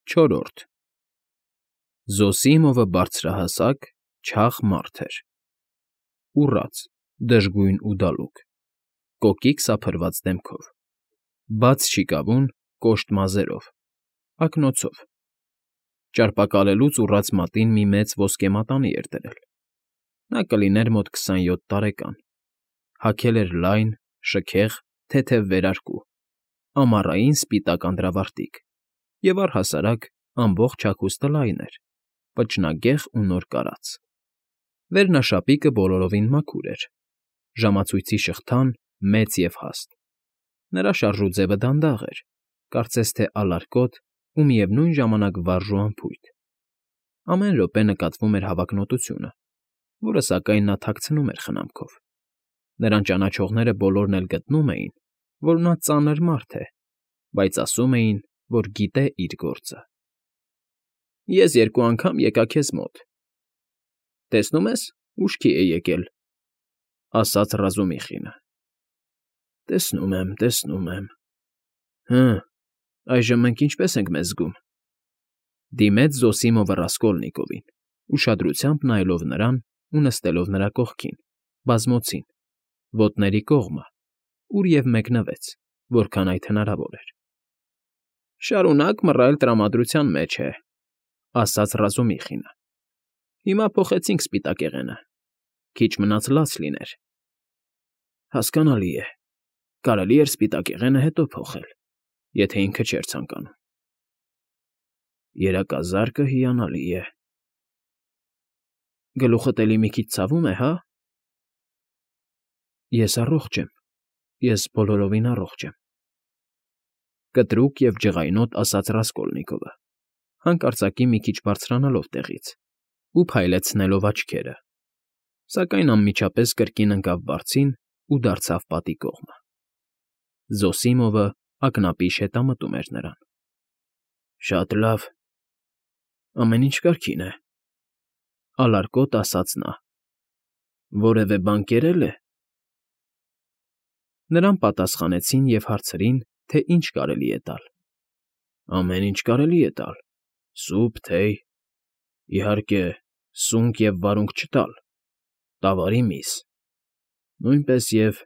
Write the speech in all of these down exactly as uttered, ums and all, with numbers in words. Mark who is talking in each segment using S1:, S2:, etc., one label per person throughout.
S1: Չորրորդ Զոսիմովը բարձրահասակ, չաղ մարդ էր, ուռած, դժգույն ու դալուկ, կոկիկ սափրված դեմքով, բաց շիկավուն, կոշտ մազերով, ակնոցով, ճարպակալելուց ուռած մատին մի մեծ ոսկե մատանի էր դրել. նա կլիներ մոտ քսանյոթ տարեկան, հագել էր լայն, շքեղ, թեթև վերարկու, ամառային սպիտակ անդրավարտիք և, առհասարակ, ամբողջ հագուստը լայն էր, պճնագեղ ու նոր կարած. վերնաշապիկը բոլորովին մաքուր էր, ժամացույցի շղթան մեծ և հաստ, նրա շարժուձևը դանդաղ էր, կարծես թե ալարկոտ ու միևնույն ժամանակ վարժ ու անփույթ. ամեն րոպե նկատվում էր հավակնոտությունը, որը, սակայն, նա թաքցնում էր խնամքով. նրան ճանաչողները բոլորն էլ գտնում էին, որ նա ծանր մարդ է, բայց ասում էին, որ գիտե իր գործը։ ֊ Ես երկու անգամ եկա քեզ մոտ, տեսնում ես, ուշքի է եկել,֊ ասաց Ռազումիխինը։ ֊ Տեսնում եմ, տեսնում եմ… Հը, այժմ մենք ինչպե՞ս ենք մեզ զգում,֊ դիմեց Զոսիմովը Ռասկոլնիկովին, ուշադրությամբ նայելով նրան ու նստելով նրա կողքին, բազմոցին, ոտների կողմը, ուր և մեկնվեց, որքան այդ հնարավոր էր։ ֊ Շարունակ մռայլ տրամադրության մեջ է,֊ ասաց Ռազումիխինը։ ֊ Հիմա փոխեցինք սպիտակեղենը, քիչ մնաց լաց լիներ։ ֊ Հասկանալի է, կարելի էր սպիտակեղենը հետո փոխել, եթե ինքը չէր ցանկանում։ ֊ Երակազարկը հիանալի է… Գլուխդ էլի մի քիչ ցավում է, հա՞… ֊ Ես առողջ եմ, ես բոլորովին առողջ եմ,֊ կտրուկ և ջղայնոտ ասաց Ռասկոլնիկովը, հանկարծակի մի քիչ բարձրանալով տեղից ու փայլեցնելով աչքերը, սակայն անմիջապես կրկին ընկավ բարձին ու դարձավ պատի կողմը։ Զոսիմովը ակնապիշ հետամտում էր նրան։ ֊ Շատ լավ, ամեն ինչ կարգին է,֊ ալարկոտ ասաց նա։֊ Որևէ բան կերել է… Նրան պատասխանեցին և հարցրին, թե ինչ կարելի է տալ։ ֊ Ամեն ինչ կարելի է տալ՝ սուփ, թեյ, իհարկե, սունկ և վարունգ չտալ, տավարի միս, նույնպես և…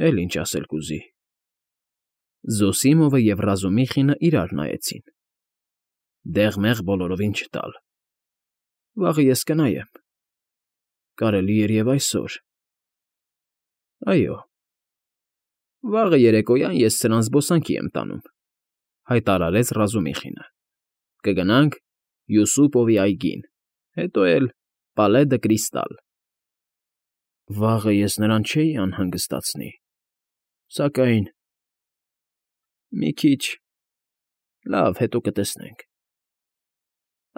S1: Էլ ինչ ասել կուզի… Զոսիմովը և Ռազումիխինը իրար նայեցին։ ֊ Դեղ֊մեղ բոլորովին չտալ… Վաղը ես կնայեմ… Կարելի էր և այսօր… Այո, վաղը երեկոյան ես սրան զբոսանքի եմ տանում,֊ հայտարարեց Ռազումիխինը։֊ Կգնանք Յուսուպովի այգին, հետո էլ Պալե դը Կրիստալ… Վաղը ես նրան չէի անհանգստացնի, սակայն… Մի քիչ… Լավ, հետո կտեսնենք…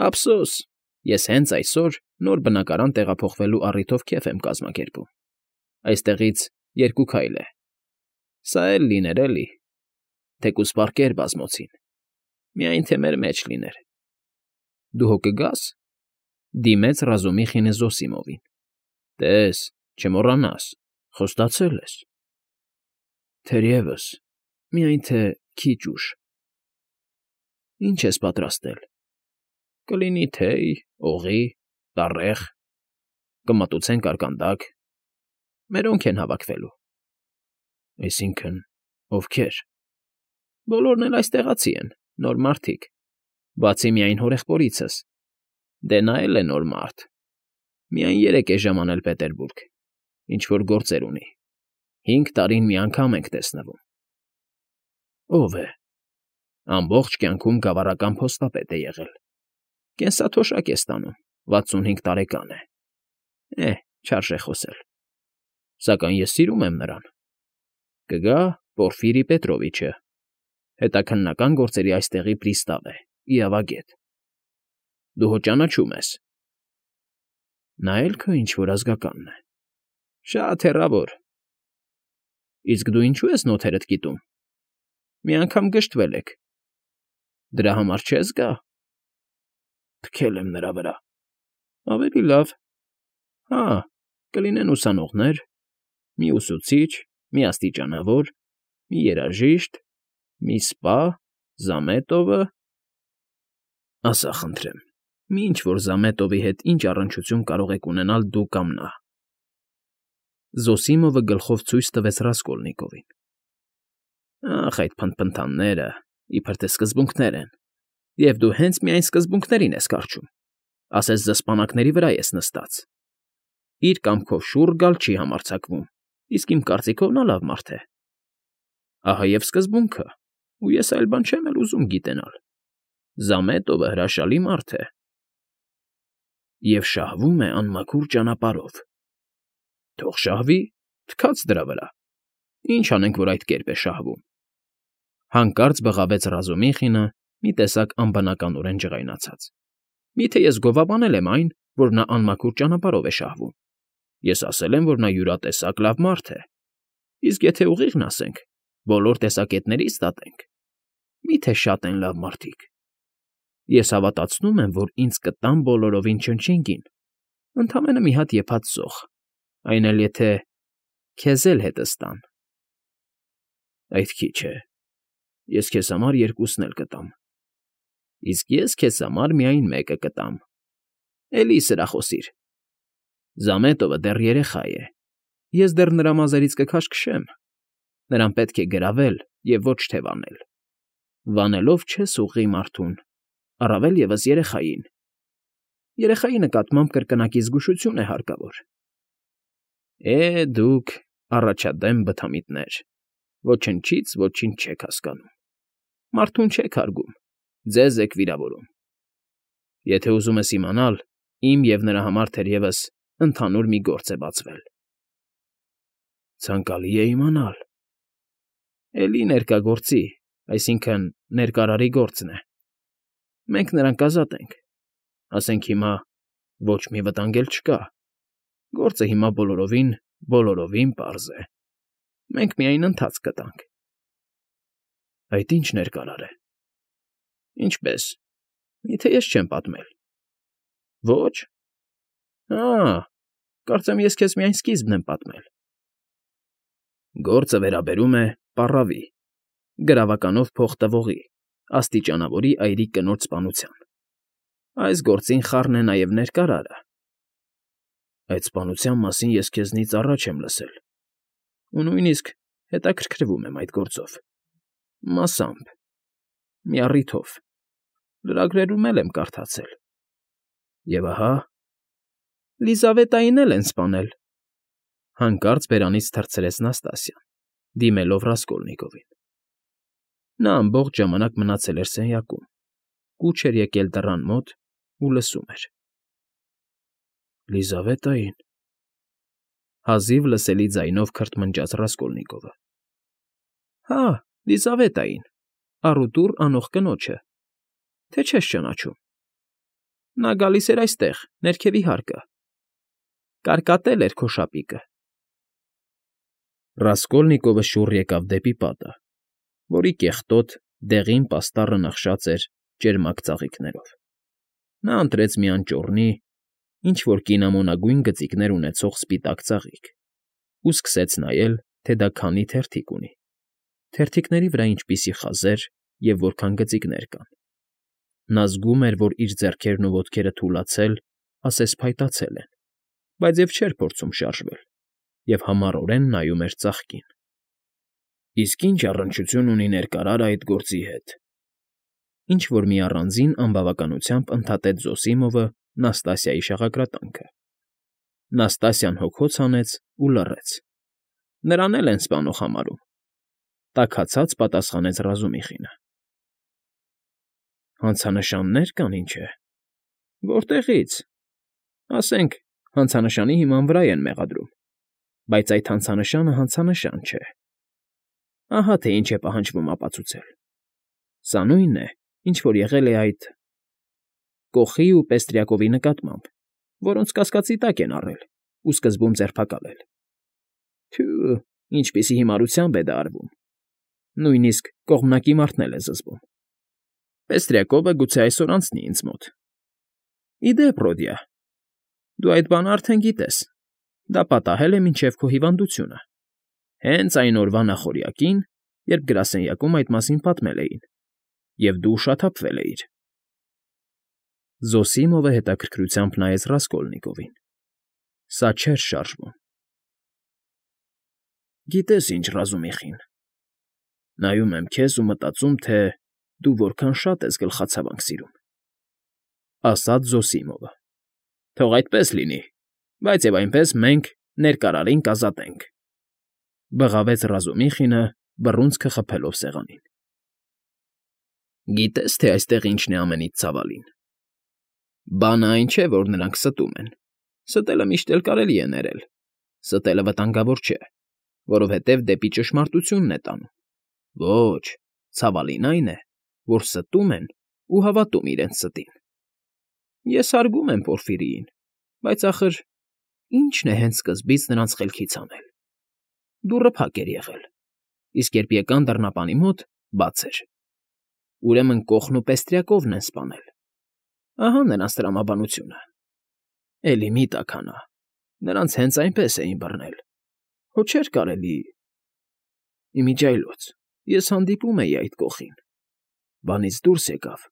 S1: Ափսոս, ես հենց այսօր նոր բնակարան տեղափոխվելու առիթով քեֆ եմ կազմակերպում, այստեղից երկու քայլ է… Սա էլ լիներ, էլի… Թեկուզ պարկեր բազմոցին, միայն թե մեր մեջ լիներ… Դու հո կգա՞ս,֊ դիմեց Ռազումիխինը Զոսիմովին։֊ Տես, չմոռանաս, խոստացել ես… Թերևս, միայն թե քիչ ուշ… Ինչ ես պատրաստել… Կլինի թեյ, օղի, տառեղ, կմատուցենք կարկանդակ… Մերոնք են հավաքվելու… Այսինքն՝ ովքե՞ր… Բոլորն էլ այստեղացի են, նոր մարդիկ, բացի միայն հորեղբորիցս… Դե նա էլ է նոր մարդ… Միայն երեկ է ժամանել Պետերբուրգ, ինչ֊որ գործեր ունի… Հինգ տարին մի անգամ ենք տեսնվում… Ո՞վ է… Ամբողջ կյանքում գավառական փոստապետ է եղել… Կենսաթոշակ է ստանում, վաթսունհինգ տարեկան է… Էհ, չարժե խոսել… Սակայն ես սիրում եմ նրան… Կգա Պորֆիրի Պետրովիչը, հետաքննական գործերի այստեղի պրիստավ է, իրավագետ… Դու հո ճանաչում ես… Նա էլ քո ինչ֊որ ազգականն է… Շատ հեռավոր… Իսկ դու ինչո՞ւ ես նոթերդ կիտում… Մի անգամ գժտվել եք… Դրա համար չե՞ս գա… Թքել եմ նրա վրա… Ավելի լավ… Հա, կլինեն ուսանողներ, մի ուսուցիչ, մի աստիճանավոր, մի երաժիշտ, մի սպա, Զամետովը, Ասա խնդրեմ, մի ինչ֊որ Զամետովի հետ ինչ առնչություն կարող եք ունենալ դու կամ նա… Զոսիմովը գլխով ցույց տվեց Ռասկոլնիկովին։ Ախ, այդ փնթփնթանները, իբրև թե սկզբունքներ են, և դու հենց միայն սկզբունքներին ես կառչում, ասես զսպանակների վրա ես նստած… Իր կամքով շուռ գալ չի համարձակվում, իսկ իմ կարծիքով նա լավ մարդ է… Ահա և սկզբունքը, ու ես այլ բան չեմ էլ ուզում գիտենալ… Զամետովը հրաշալի մարդ է… Եվ շահվում է անմաքուր ճանապարհով… Թող շահվի, թքած դրա վրա… Ինչ անենք, որ այդ կերպ է շահվում… Հանկարծ բղավեց Ռազումիխինը, մի տեսակ անբնականորեն ջղայնացած։ Միթե ես գովաբանել եմ այն, որ նա անմաքուր ճանապարհով է շահվում… Ես ասել եմ, որ նա յուրատեսակ լավ մարդ է… Իսկ եթե ուղիղն ասենք, բոլոր տեսակետներից դատենք, մի՞թե շատ են լավ մարդիկ… Ես հավատացնում եմ, որ ինձ կտան բոլորովին չնչինգին, ընդամենը մի հատ եփած զող, այն էլ եթե… քեզ էլ հետս տան… Այդ քիչ է… Ես քեզ համար երկուսն էլ կտամ… Իսկ ես քեզ համար միայն մեկը կտամ… Էլի սրախոսիր… Զամետովը դեռ երեխա է, ես դեռ նրա մազերից կքաշքշեմ… Նրան պետք է գրավել և ոչ թե վանել… Վանելով չես ուղղի մարդուն, առավել ևս երեխային… Երեխայի նկատմամբ կրկնակի զգուշություն է հարկավոր… Է՜, դուք, առաջադեմ բթամիտներ, ոչնչից ոչինչ չեք հասկանում… Մարդուն չեք հարգում, ձեզ եք վիրավորում… Եթե ուզում ես իմանալ, իմ և նրա համար թերևս ընդհանուր մի գործ է բացվել… Ցանկալի է իմանալ… Էլի ներկա գործի, այսինքն՝ ներկարարի գործն է… Մենք նրան կազատենք… Ասենք հիմա ոչ մի վտանգ էլ չկա… Գործը հիմա բոլորովին, բոլորովին պարզ է… Մենք միայն ընթացք կտանք… Այդ ի՞նչ ներկարար է… Ինչպե՞ս… Միթե ես չեմ պատմել… Ոչ… Հա՜, կարծեմ ես քեզ միայն սկիզբն եմ պատմել… Գործը վերաբերում է պառավի, գրավականով փող տվողի, աստիճանավորի այրիկ կնոջ սպանության… Այս գործին խառն է նաև ներկարարը… Այդ սպանության մասին ես քեզնից առաջ եմ լսել ու նույնիսկ հետաքրքրվում եմ այդ գործով… Մասամբ… Մի առիթով… Լրագրերում էլ եմ կարդացել… Եվ ահա… Լիզավետային էլ են սպանել… Հանկարծ բերանից թռցրեց Նաստասիան, դիմելով Ռասկոլնիկովին… Նա ամբողջ ժամանակ մնացել էր սենյակում, կուչ էր եկել դռան մոտ ու լսում էր… Լիզավետային… Հազիվ լսելի ձայնով քրթմնջաց Ռասկոլնիկովը… Հա, Լիզավետային, առուտուր անող կնոջը… Թե չես ճանաչում… Նա գալիս էր այստեղ, ներքևի հարկը… Կարկատել էր քո շապիկը… Ռասկոլնիկովը շուռ եկավ դեպի պատը, որի կեղտոտ, դեղին պաստառը նախշած էր ճերմակ ծաղիկներով… Նա ընտրեց մի անճոռնի, ինչ֊որ կինամոնագույն գծիկներ ունեցող սպիտակ ծաղիկ ու սկսեց նայել, թե դա քանի թերթիկ ունի, թերթիկների վրա ինչպիսի խազեր և որքան գծիկներ կան… Նա զգում էր, որ իր ձեռքերն ու ոտքերը թուլացել, ասես փայտացել են, բայց և չէր փորձում շարժվել և համառորեն նայում էր ծաղկին… Իսկ ի՞նչ առնչություն ունի ներկարարը այդ գործի հետ… Ինչ֊որ մի առանձին անբավականությամբ ընդհատեց Զոսիմովը Նաստասիայի շաղակրատանքը… Նաստասիան հոգոց հանեց ու լռեց… Նրան էլ են սպանող համարում… Տաքացած պատասխանեց Ռազումիխինը… Հանցանշաննե՞ր կան, ինչ է… Որտեղի՞ց… Ասենք, հանցանշանի հիման վրա են մեղադրում, բայց այդ հանցանշանը հանցանշան չէ… Ահա թե ինչ է պահանջվում ապացուցել… Սա նույնն է, ինչ որ եղել է այդ… Կոխի ու Պեստրյակովի նկատմամբ, որոնց կասկածի տակ են առել ու սկզբում ձերբակալել… Թյո՜ւ, ինչպիսի հիմարությամբ է դա արվում… Նույնիսկ կողմնակի մարդն էլ է զզվում… Պեստրյակովը գուցե այսօր անցնի ինձ մոտ… Ի դեպ, Ռոդիա, դու այդ բանը արդեն գիտես… Դա պատահել է մինչև քո հիվանդությունը… Հենց այն օրվա նախօրյակին, երբ գրասենյակում այդ մասին պատմել էին, և դու ուշաթափվել էիր… Զոսիմովը հետաքրքրությամբ նայեց Ռասկոլնիկովին. սա չէր շարժվում։ Գիտես ինչ, Ռազումիխին, նայում եմ քեզ ու մտածում, թե դու որքան շատ ես գլխացավանք սիրում, ասաց Զոսիմովը։ Թող այդպես լինի, բայց և այնպես մենք ներկարարին կազատենք, բղավեց Ռազումիխինը, բռունցքը խփելով սեղանին։ Գիտես, թե այստեղ ինչն է ամենից ցավալին։ Բանը այն չէ, որ նրանք ստում են։ Ստելը միշտ էլ կարելի է ներել։ Ստելը վտանգավոր չէ, որովհետև դեպի ճշմարտությունն է տանում։ Ոչ, ցավալին այն է, որ ստում են ու հավատում իրենց ստին։ Ես հարգում եմ Պորֆիրիին, բայց ախր ի՞նչն է հենց սկզբից նրանց խելքից հանել։ Դուռը փակ էր եղել, իսկ երբ եկան դռնապանի մոտ, բաց էր։ Ուրեմն կոխն ու պեստրյակովն են սպանել։ Ահա նրանց տրամաբանությունը։ Էլի մի տաքանա, նրանց հենց այնպես էին բռնել։ Հո չէր կարելի… Իմիջիայլոց, ես հանդիպում էի այդ կոխին։ Բանից դուրս եկավ,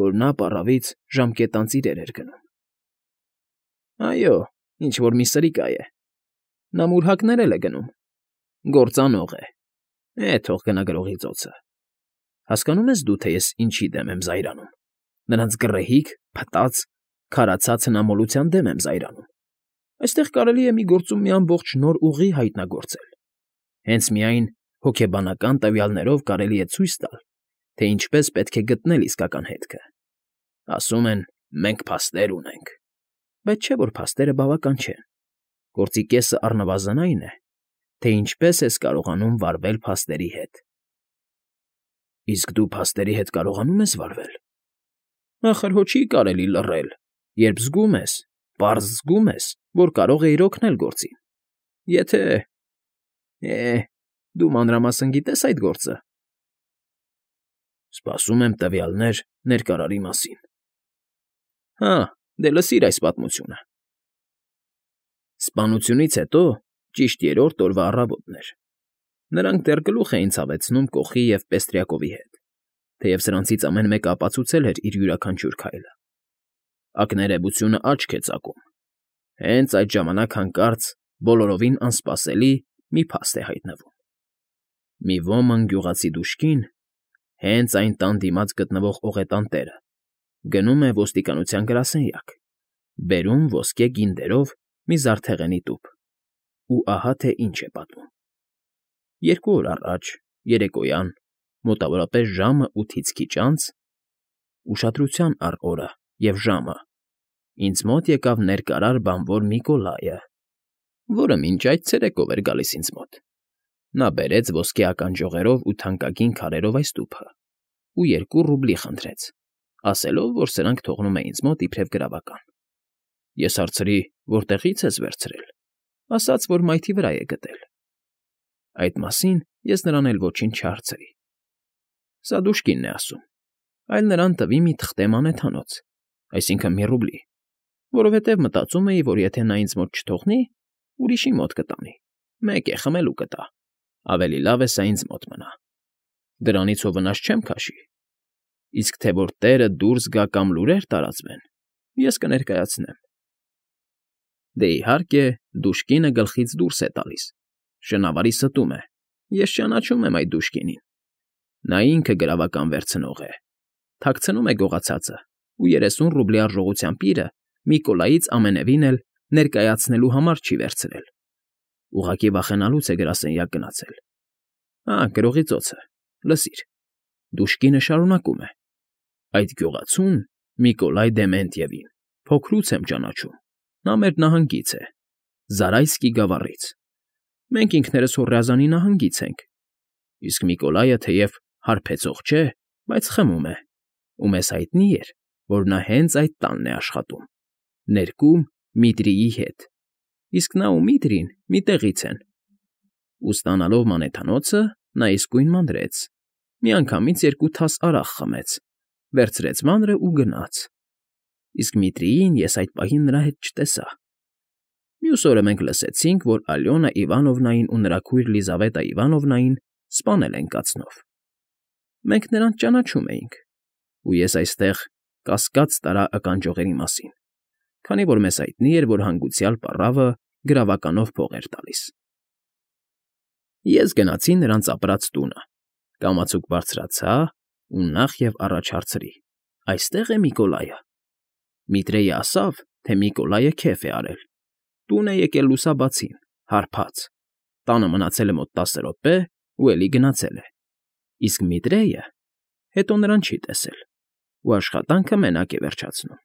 S1: որ նա պառավից ժամկետանց իրեր էր գնում։ Այո, ինչ֊որ մի սրիկա է։ Նա մուրհակներ էլ է գնում։ Գործանող է։ Է, թող գնա գրողի ծոցը։ Հասկանո՞ւմ ես դու, թե ես ինչի դեմ եմ զայրանում։ Նրանց գռեհիկ, փտած, քարացած հնամոլության դեմ եմ զայրանում։ Այստեղ կարելի է մի գործում մի ամբողջ նոր ուղի հայտնագործել։ Հենց միայն հոգեբանական տվյալներով կարելի է ցույց տալ, թե ինչպես պետք է գտնել իսկական հետքը։ Ասում են, մենք փաստեր ունենք, բայց չէ՞ որ փաստերը բավական չեն։ Գործի կեսը առնվազն այն է, թե ինչպես ես կարողանում վարվել փաստերի հետ։ Իսկ դու փաստերի հետ կարողանում ես վարվել։ Ախր հո չի կարելի լռել, երբ զգում ես, պարզ զգում ես, որ կարող էիր օգնել գործին։ Եթե… Է, դու մանրամասն գիտես այդ գործը։ Սպասում եմ տվյալներ ներկարարի մասին։ Հա, դե լսիր այս պատմությունը։ Սպանությունից հետո ճիշտ երրորդ օրվա առավոտն էր։ Նրանք դեռ գլուխ էին ցավեցնում կոխի և պեստրյակովի հետ, թեև սրանցից ամեն մեկը ապացուցել էր իր յուրաքանչյուր քայլը։ Ակներևությունը աչք է ծակում։ Հենց այդ ժամանակ հանկարծ բոլորովին անսպասելի մի փաստ է հայտնվում։ Մի ոմն գյուղացի դուշկին, հենց այն տան դիմաց գտնվող օղետան տերը, գնում է ոստիկանության գրասենյակ, բերում ոսկե գինդերով մի զարդեղենի տուփ։ Ու ահա թե ինչ է պատմում. Երկու օր առաջ, երեկոյան, մոտավորապես ժամը ութից քիչ անց, ուշադրության առ օրը և ժամը, ինձ մոտ եկավ ներկարար բանվոր Միկոլայը, որը մինչ այդ ցերեկով էր գալիս ինձ մոտ։ Նա բերեց ոսկե ականջողերով ու թանկագին քարերով այս տուփը ու երկու ռուբլի խնդրեց, ասելով, որ սրանք թողնում է ինձ մոտ իբրև գրավական։ Ես հարցրի, որտեղից ես վերցրել, ասաց, որ մայթի վրա է գտել։ Այդ մասին ես նրան էլ ոչինչ չհարցրի։ Սա դուշկինն է ասում, այլ նրան տվի մի թղթե մանեթանոց, այսինքն մի ռուբլի, որովհետև մտածում էի, որ եթե նա ինձ մոտ չթողնի, ուրիշի մոտ կտանի, մեկ է խմելու կտա, ավելի լավ է սա ինձ մոտ մնա։ Դրանից հո վնաս չեմ քաշի։ Իսկ թե որ տերը դուրս գա կամ լուրեր տարածվեն, ես կներկայացնեմ։ Դե իհարկե, դուշկինը գլխից դուրս է տալիս, շնավարի ստում է, ես ճանաչում եմ այդ դուշկինին։ Նա ինքը գրավական վերցնող է, թաքցնում է գողացածը ու երեսուն ռուբլի արժողության պիրը Միկոլայից ամենևին էլ ներկայացնելու համար չի վերցրել։ Ուղղակի վախենալուց է գրասենյակ գնացել։ Հա, գրողի ծոցը, լսիր, դուշկինը շարունակում է. Այդ գյուղացուն Միկոլայ Դեմենտիևին փոքրուց եմ ճանաչում, նա մեր նահանգից է, Զարայսկի գավառից։ Մենք ինքներս Հոռեազանի նահանգից ենք, իսկ Միկոլայը թեև հարբեցող չէ, բայց խմում է, ու մեզ հայտնի էր, որ նա հենց այդ տանն է աշխատում, ներկում Միտրիի հետ, իսկ նա ու Միտրին մի տեղից են։ Ու ստանալով մանեթանոցը, նա իսկույն մանրեց, միանգամից երկու թաս արաղ խմեց, վերցրեց մանրը ու գնաց։ Իսկ Միտրիին ես այդ պահին նրա հետ չտեսա։ Մյուս օրը մենք լսեցինք, որ Ալյոնա Իվանովնային ու նրա քույր Լիզավետա Իվանովնային սպանել են կացնով։ Մենք նրանց ճանաչում էինք, ու ես այստեղ կասկած տարա ականջողերի մասին, քանի որ մեզ հայտնի էր, որ հանգուցյալ պառավը գրավականով փող էր տալիս։ Ես գնացի նրանց ապրած տունը, կամացուկ բարձրացա ու նախ և առաջ հարցրի. «Այստե՞ղ է Միկոլայը»։ Միտրեյը ասավ, թե Միկոլայը քեֆ է արել, տուն է եկել լուսաբացին, հարբած, տանը մնացել է մոտ տասը րոպե ու էլի գնացել է, իսկ Միտրեյը հետո նրան չի տեսել ու աշխատանքը մենակ է վերջացնում։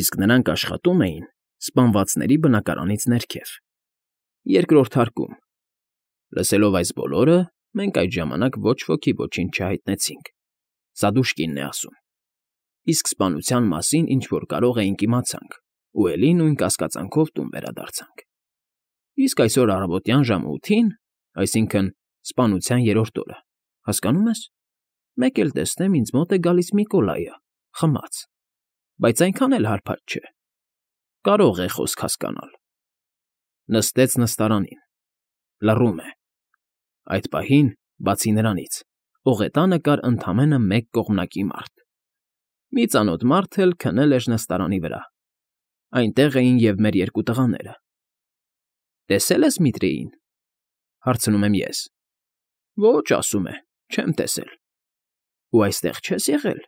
S1: Իսկ նրանք աշխատում էին սպանվածների բնակարանից ներքև, երկրորդ հարկում։ Լսելով այս բոլորը, մենք այդ ժամանակ ոչ ոքի ոչինչ չհայտնեցինք, սա Դուշկինն է ասում, իսկ սպանության մասին ինչ֊որ կարող էինք իմացանք ու էլի նույն կասկածանքով տուն վերադարձանք։ Իսկ այսօր առավոտյան ժամը ութին, այսինքն՝ սպանության երրորդ օրը, հասկանո՞ւմ ես, մեկ էլ տեսնեմ ինձ մոտ է գալիս Միկոլայը, խմած, բայց այնքան էլ հարբած չէ, կարող է խոսք հասկանալ։ Նստեց նստարանին, լռում է։ Այդ պահին, բացի նրանից, ողետանը կար ընդամենը մեկ կողմնակի մարդ։ Մի ծանոթ մարդ էլ քնել էր նստարանի վրա, այնտեղ էին և մեր երկու տղաները։ «Տեսե՞լ ես Միտրեյին»։ Հարցնում եմ ես։ «Ոչ, ասում է, չեմ տեսել»։ «Ու այստեղ չե՞ս եղել»։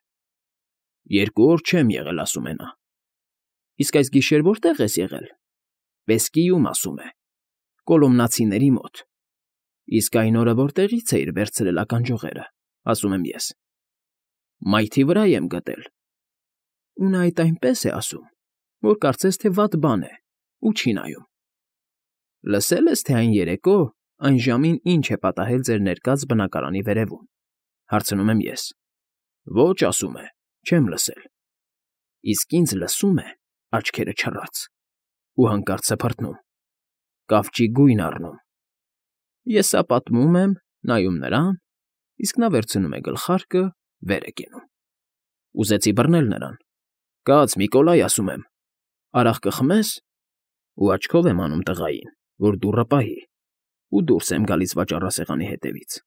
S1: «Երկու օր չեմ եղել, ասում է նա»։ «Իսկ այս գիշեր որտե՞ղ ես եղել»։ «Պեսկիում, ասում է, Կոլոմնացիների մոտ»։ «Իսկ այն օրը որտեղի՞ց էիր վերցրել ականջողերը», ասում եմ ես։ «Մայթի վրա եմ գտել»։ «Ու նա այդ այնպես է ասում, որ կարծես թե վատ բան է ու չի նայում»։ «Լսե՞լ ես, թե այն երեկո այն ժամին ինչ է պատահել ձեր ներկած բնակարանի վերևում»։ Հարցնում եմ ես։ «Ոչ, ասում է, չեմ լսել»։ «Իսկ ինձ լսում է, աչքերը չռած, ու հանկարծ սփռտնում, կավճի գույն առնում»։ Ես սա պատմում եմ, նայում նրան, իսկ նա վերցնում է գլխարկը, վեր է կենում։ Ուզեցի բռնել նրան. «Կաց, Միկոլայ, ասում եմ, արաղ կխմե՞ս»։ Ու աչքով եմ անում տղային, որ դուռը պահի, ու դուրս եմ գալիս վաճառասեղանի հետևից։